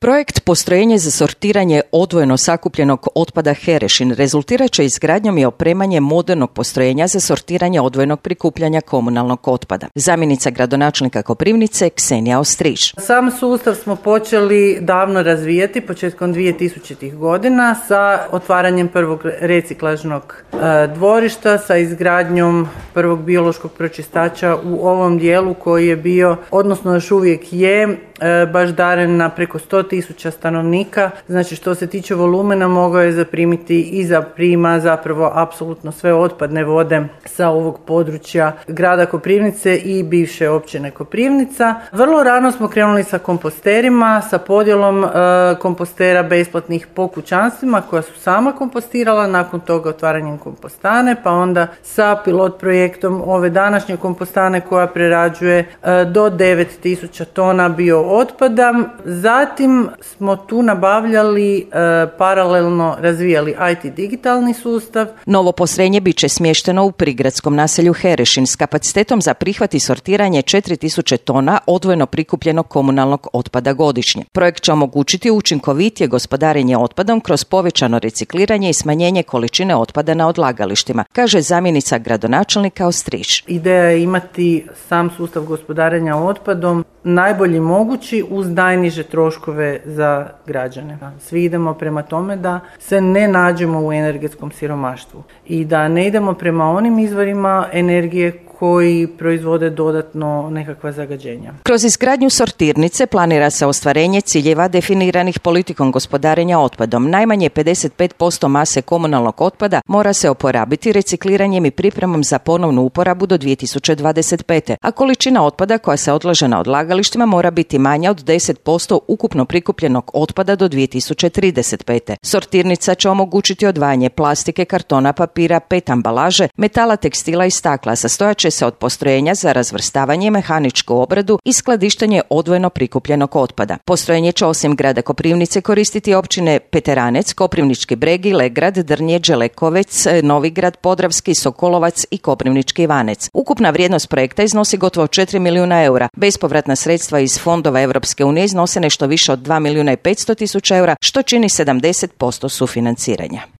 Projekt Postrojenje za sortiranje odvojeno sakupljenog otpada Herešin rezultirat će izgradnjom i opremanjem modernog postrojenja za sortiranje odvojenog prikupljanja komunalnog otpada. Zamjenica gradonačelnika Koprivnice Ksenija Ostrić. Sam sustav smo počeli davno razvijati početkom 2000. godina sa otvaranjem prvog reciklažnog dvorišta, sa izgradnjom prvog biološkog pročistača u ovom dijelu koji je bio, odnosno još uvijek je, baždaren na preko 100.000 stanovnika. Znači što se tiče volumena mogao je zaprimiti i zaprima zapravo apsolutno sve otpadne vode sa ovog područja grada Koprivnice i bivše općine Koprivnica. Vrlo rano smo krenuli sa komposterima, sa podjelom kompostera besplatnih po kućanstvima koja su sama kompostirala, nakon toga otvaranjem kompostane, pa onda sa pilot projektom ove današnje kompostane koja prerađuje do 9.000 tona bio otpada. Zatim smo tu nabavljali, paralelno razvijali IT digitalni sustav. Novo postrojenje bit će smješteno u prigradskom naselju Herešin s kapacitetom za prihvat i sortiranje 4.000 tona odvojeno prikupljenog komunalnog otpada godišnje. Projekt će omogućiti učinkovitije gospodarenje otpadom kroz povećano recikliranje i smanjenje količine otpada na odlagalištima, kaže zamjenica gradonačelnika Ostrić. Ideja je imati sam sustav gospodarenja otpadom najbolji mogući uz najniže troškove za građane. Svi idemo prema tome da se ne nađemo u energetskom siromaštvu i da ne idemo prema onim izvorima energije koji proizvode dodatno nekakva zagađenja. Kroz izgradnju sortirnice planira se ostvarenje ciljeva definiranih politikom gospodarenja otpadom. Najmanje 55% mase komunalnog otpada mora se oporabiti recikliranjem i pripremom za ponovnu uporabu do 2025. A količina otpada koja se odlaže na odlagalištima mora biti manja od 10% ukupno prikupljenog otpada do 2035. Sortirnica će omogućiti odvajanje plastike, kartona, papira, PET ambalaže, metala, tekstila i stakla. Sastojat će se od postrojenja za razvrstavanje, mehaničku obradu i skladištenje odvojeno prikupljenog otpada. Postrojenje će osim grada Koprivnice koristiti općine Peteranec, Koprivnički Bregi, Legrad, Drnje, Đelekovec, Novigrad, Podravski, Sokolovac i Koprivnički Ivanec. Ukupna vrijednost projekta iznosi gotovo 4 milijuna eura. Bespovratna sredstva iz fondova Europske unije iznose nešto više od 2 milijuna i 500 tisuća eura, što čini 70% sufinanciranja.